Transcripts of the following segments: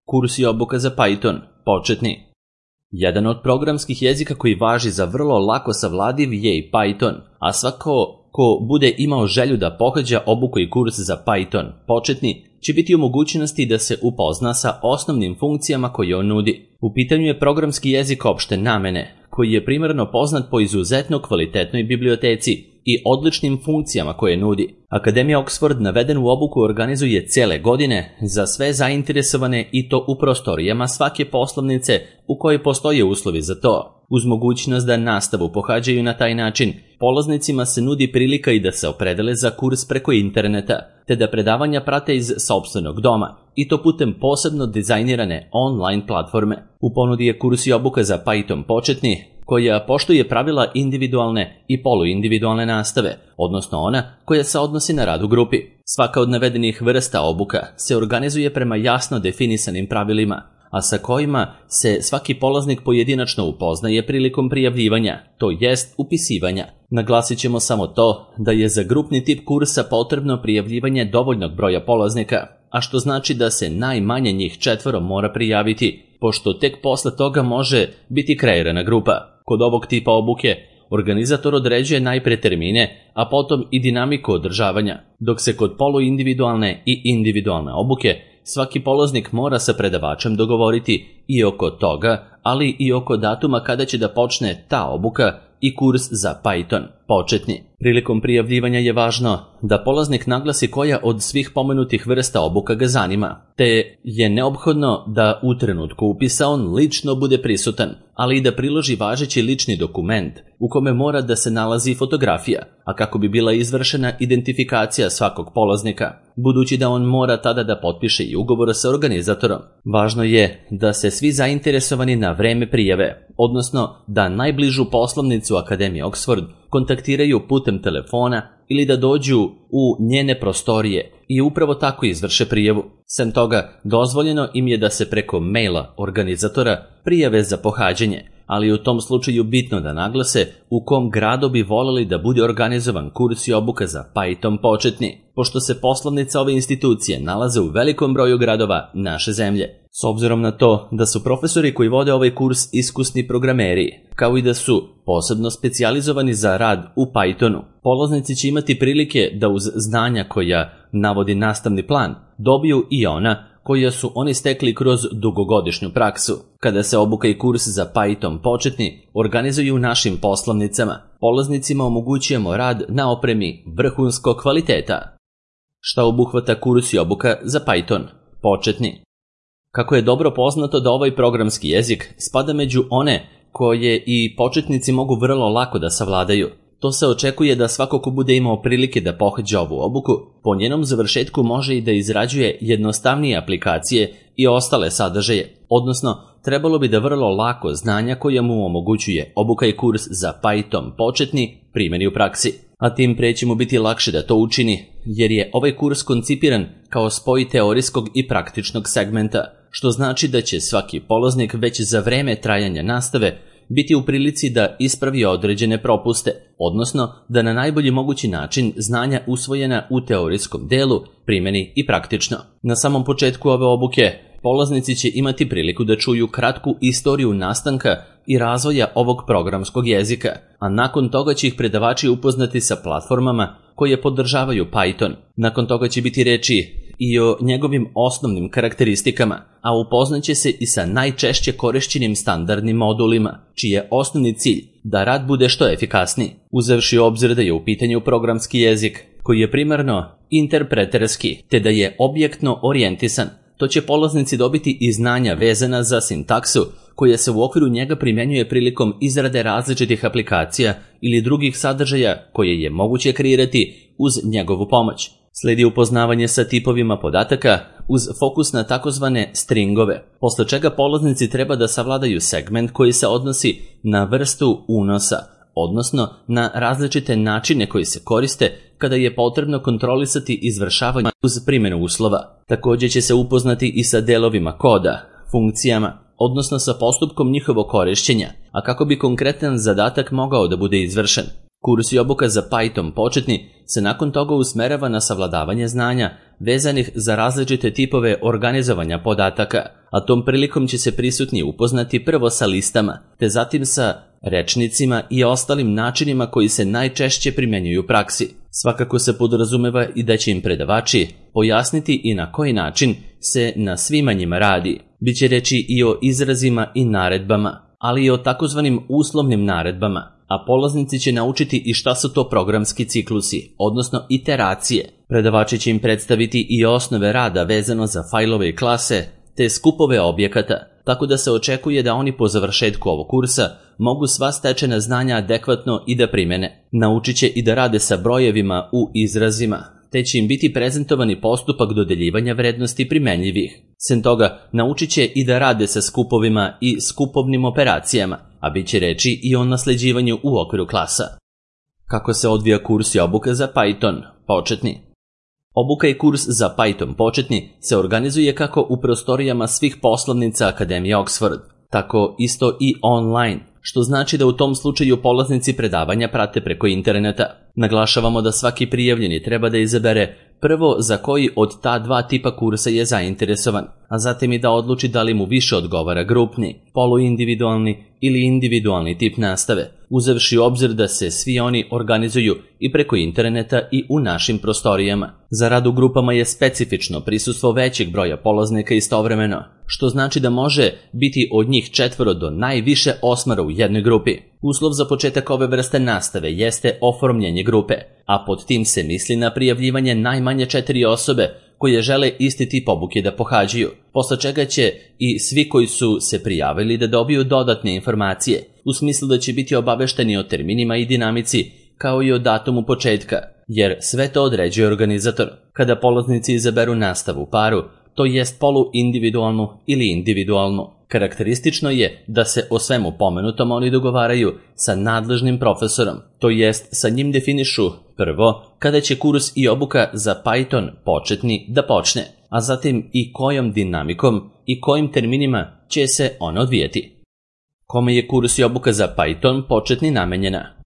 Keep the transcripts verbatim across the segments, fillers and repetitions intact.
Kurs i obuka za Python, početni. Jedan od programskih jezika koji važi za vrlo lako savladiv je i Python, a svako ko bude imao želju da pohađa obuku i kurs za Python, početni, će biti u mogućnosti da se upozna sa osnovnim funkcijama koje on nudi. U pitanju je programski jezik opšte namene, koji je primarno poznat po izuzetno kvalitetnoj biblioteci i odličnim funkcijama koje nudi. Akademija Oxford navedenu obuku organizuje cele godine za sve zainteresovane i to u prostorijama svake poslovnice u kojoj postoje uslovi za to. Uz mogućnost da nastavu pohađaju na taj način, polaznicima se nudi prilika i da se opredele za kurs preko interneta, te da predavanja prate iz sopstvenog doma, i to putem posebno dizajnirane online platforme. U ponudi je kurs i obuka za Python početni, koja poštuje pravila individualne i poluindividualne nastave, odnosno ona koja se odnosi na rad u grupi. Svaka od navedenih vrsta obuka se organizuje prema jasno definisanim pravilima, a sa kojima se svaki polaznik pojedinačno upoznaje prilikom prijavljivanja, to jest upisivanja. Naglasit ćemo samo to da je za grupni tip kursa potrebno prijavljivanje dovoljnog broja polaznika, a što znači da se najmanje njih četvoro mora prijaviti, pošto tek posle toga može biti kreirana grupa. Kod ovog tipa obuke organizator određuje najpre termine, a potom i dinamiku održavanja, dok se kod poluindividualne i individualne obuke svaki polaznik mora sa predavačem dogovoriti i oko toga, ali i oko datuma kada će da počne ta obuka i kurs za Python, početni. Prilikom prijavljivanja je važno da polaznik naglasi koja od svih pomenutih vrsta obuka ga zanima, te je neophodno da u trenutku upisa on lično bude prisutan, ali i da priloži važeći lični dokument u kome mora da se nalazi fotografija, a kako bi bila izvršena identifikacija svakog polaznika, budući da on mora tada da potpiše i ugovor sa organizatorom. Važno je da se svi zainteresovani na vreme prijave, odnosno da najbližu poslovnicu Akademije Oxford kontaktiraju putem telefona ili da dođu u njene prostorije i upravo tako izvrše prijavu. Sem toga, dozvoljeno im je da se preko maila organizatora prijave za pohađanje, ali u tom slučaju bitno da naglase u kom gradu bi voleli da bude organizovan kurs i obuka za Python početni, pošto se poslovnica ove institucije nalaze u velikom broju gradova naše zemlje. S obzirom na to da su profesori koji vode ovaj kurs iskusni programeri, kao i da su posebno specijalizovani za rad u Pythonu, polaznici će imati prilike da uz znanja koja navodi nastavni plan dobiju i ona koja su oni stekli kroz dugogodišnju praksu. Kada se obuka i kurs za Python početni organizuju u našim poslovnicama, polaznicima omogućujemo rad na opremi vrhunskog kvaliteta. Šta obuhvata kurs i obuka za Python početni? Kako je dobro poznato da ovaj programski jezik spada među one koje i početnici mogu vrlo lako da savladaju, to se očekuje da svako ko bude imao prilike da pohađa ovu obuku, po njenom završetku može i da izrađuje jednostavnije aplikacije i ostale sadržaje, odnosno trebalo bi da vrlo lako znanja koja mu omogućuje obuka i kurs za Python početni primeni u praksi. A tim pre će mu biti lakše da to učini, jer je ovaj kurs koncipiran kao spoj teorijskog i praktičnog segmenta, što znači da će svaki polaznik već za vreme trajanja nastave biti u prilici da ispravi određene propuste, odnosno da na najbolji mogući način znanja usvojena u teorijskom delu primeni i praktično. Na samom početku ove obuke polaznici će imati priliku da čuju kratku istoriju nastanka i razvoja ovog programskog jezika, a nakon toga će ih predavači upoznati sa platformama koje podržavaju Python. Nakon toga će biti reči i o njegovim osnovnim karakteristikama, a upoznaće se i sa najčešće korišćenim standardnim modulima, čiji je osnovni cilj da rad bude što efikasniji. Uzevši u obzir da je u pitanju programski jezik, koji je primarno interpreterski, te da je objektno orijentisan, to će polaznici dobiti i znanja vezana za sintaksu, koja se u okviru njega primjenjuje prilikom izrade različitih aplikacija ili drugih sadržaja koje je moguće kreirati uz njegovu pomoć. Sledi upoznavanje sa tipovima podataka uz fokus na takozvane stringove, posle čega polaznici treba da savladaju segment koji se odnosi na vrstu unosa, odnosno na različite načine koji se koriste kada je potrebno kontrolisati izvršavanje uz primjenu uslova. Također će se upoznati i sa delovima koda, funkcijama, odnosno sa postupkom njihovog korišćenja, a kako bi konkretan zadatak mogao da bude izvršen. Kurs i obuka za Python početni se nakon toga usmerava na savladavanje znanja vezanih za različite tipove organizovanja podataka, a tom prilikom će se prisutni upoznati prvo sa listama, te zatim sa rečnicima i ostalim načinima koji se najčešće primenjuju u praksi. Svakako se podrazumeva i da će im predavači pojasniti i na koji način se na svima njima radi. Biće reči i o izrazima i naredbama, ali i o takozvanim uslovnim naredbama, a polaznici će naučiti i šta su to programski ciklusi, odnosno iteracije. Predavači će im predstaviti i osnove rada vezano za fajlove i klase, te skupove objekata, tako da se očekuje da oni po završetku ovog kursa mogu sva stečena znanja adekvatno i da primene. Naučit će i da rade sa brojevima u izrazima, te će im biti prezentovani postupak dodeljivanja vrednosti primenljivih. Sem toga, naučit će i da rade sa skupovima i skupovnim operacijama, a bit će reči i o nasleđivanju u okviru klasa. Kako se odvija kurs i obuka za Python početni? Obuka i kurs za Python početni se organizuje kako u prostorijama svih poslovnica Akademije Oxford, tako isto i online, što znači da u tom slučaju polaznici predavanja prate preko interneta. Naglašavamo da svaki prijavljeni treba da izabere prvo za koji od ta dva tipa kursa je zainteresovan, a zatim i da odluči da li mu više odgovara grupni, poluindividualni ili individualni tip nastave, uzevši u obzir da se svi oni organizuju i preko interneta i u našim prostorijama. Za rad u grupama je specifično prisustvo većeg broja polaznika istovremeno, što znači da može biti od njih četvoro do najviše osmara u jednoj grupi. Uslov za početak ove vrste nastave jeste oformljenje grupe, a pod tim se misli na prijavljivanje najmanje četiri osobe koje žele isti tip obuke da pohađaju, posle čega će i svi koji su se prijavili da dobiju dodatne informacije, u smislu da će biti obavešteni o terminima i dinamici, kao i o datumu početka, jer sve to određuje organizator. Kada polaznici izaberu nastavu u paru, to jest poluindividualnu ili individualnu, karakteristično je da se o svemu pomenutom oni dogovaraju sa nadležnim profesorom, to jest sa njim definišu prvo kada će kurs i obuka za Python početni da počne, a zatim i kojom dinamikom i kojim terminima će se on odvijeti. Kome je kurs i obuka za Python početni namenjena?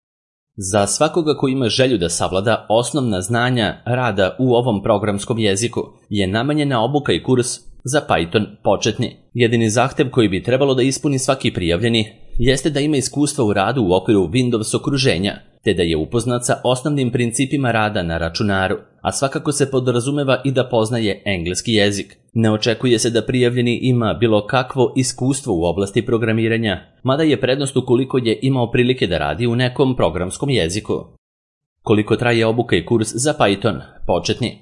Za svakoga ko ima želju da savlada osnovna znanja rada u ovom programskom jeziku je namenjena obuka i kurs za Python početni. Jedini zahtev koji bi trebalo da ispuni svaki prijavljeni jeste da ima iskustva u radu u okviru Windows okruženja, te da je upoznat sa osnovnim principima rada na računaru, a svakako se podrazumeva i da poznaje engleski jezik. Ne očekuje se da prijavljeni ima bilo kakvo iskustvo u oblasti programiranja, mada je prednost ukoliko je imao prilike da radi u nekom programskom jeziku. Koliko traje obuka i kurs za Python početni?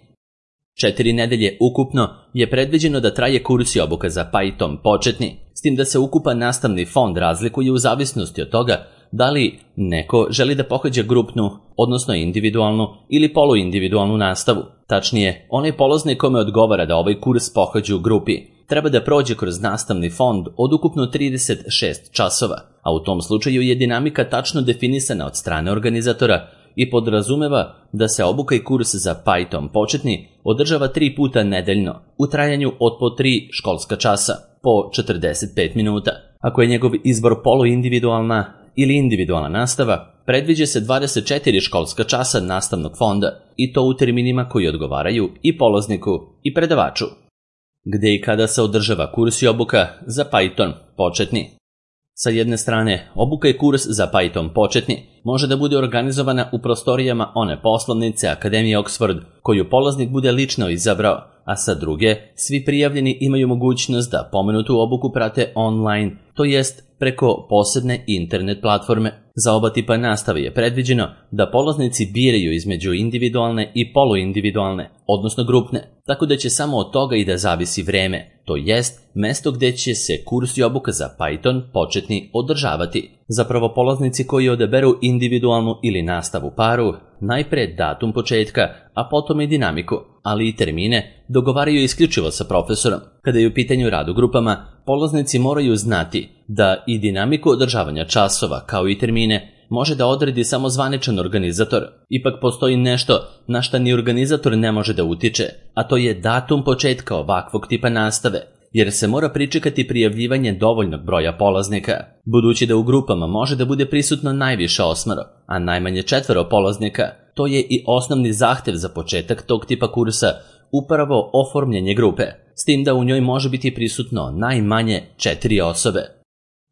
Četiri nedelje ukupno je predviđeno da traje kurs i obuka za Python početni, s tim da se ukupan nastavni fond razlikuje u zavisnosti od toga da li neko želi da pohađa grupnu, odnosno individualnu ili poluindividualnu nastavu. Tačnije, onaj polaznik kome odgovara da ovaj kurs pohađa u grupi treba da prođe kroz nastavni fond od ukupno trideset šest časova, a u tom slučaju je dinamika tačno definisana od strane organizatora i podrazumeva da se obuka i kurs za Python početni održava tri puta nedeljno u trajanju od po tri školska časa, po četrdeset pet minuta. Ako je njegov izbor poluindividualna ili individualna nastava, predviđa se dvadeset četiri školska časa nastavnog fonda i to u terminima koji odgovaraju i polazniku i predavaču. Gde i kada se održava kurs i obuka za Python početni? Sa jedne strane, obuka i kurs za Python početni može da bude organizovana u prostorijama one poslovnice Akademije Oxford koju polaznik bude lično izabrao, a sa druge, svi prijavljeni imaju mogućnost da pomenutu obuku prate online, to jest preko posebne internet platforme. Za oba tipa nastave je predviđeno da polaznici biraju između individualne i poluindividualne, odnosno grupne, tako da će samo od toga i da zavisi vreme, to jest mesto gde će se kurs i obuka za Python početni održavati. Zapravo polaznici koji odaberu individualnu ili nastavu paru, najpre datum početka, a potom i dinamiku, ali i termine dogovaraju isključivo sa profesorom. Kada je u pitanju rad u grupama, polaznici moraju znati da i dinamiku održavanja časova kao i termine može da odredi samo zvaničan organizator. Ipak postoji nešto na šta ni organizator ne može da utiče, a to je datum početka ovakvog tipa nastave, jer se mora pričekati prijavljivanje dovoljnog broja polaznika. Budući da u grupama može da bude prisutno najviše osmero, a najmanje četvero polaznika, to je i osnovni zahtev za početak tog tipa kursa upravo oformljenje grupe, s tim da u njoj može biti prisutno najmanje četiri osobe.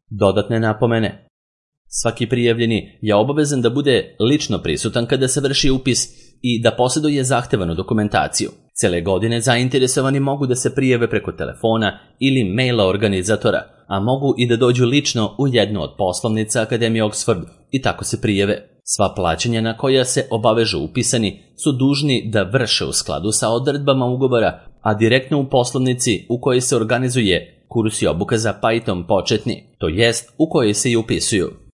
Dodatne napomene. Svaki prijavljeni je obavezan da bude lično prisutan kada se vrši upis i da posjeduje zahtevanu dokumentaciju. Cele godine zainteresovani mogu da se prijave preko telefona ili maila organizatora, a mogu i da dođu lično u jednu od poslovnica Akademije Oxford i tako se prijave. Sva plaćanja na koja se obavežu upisani su dužni da vrše u skladu sa odredbama ugovora, a direktno u poslovnici u kojoj se organizuje kurs i obuka za Python početni, to jest u kojoj se i upisuju.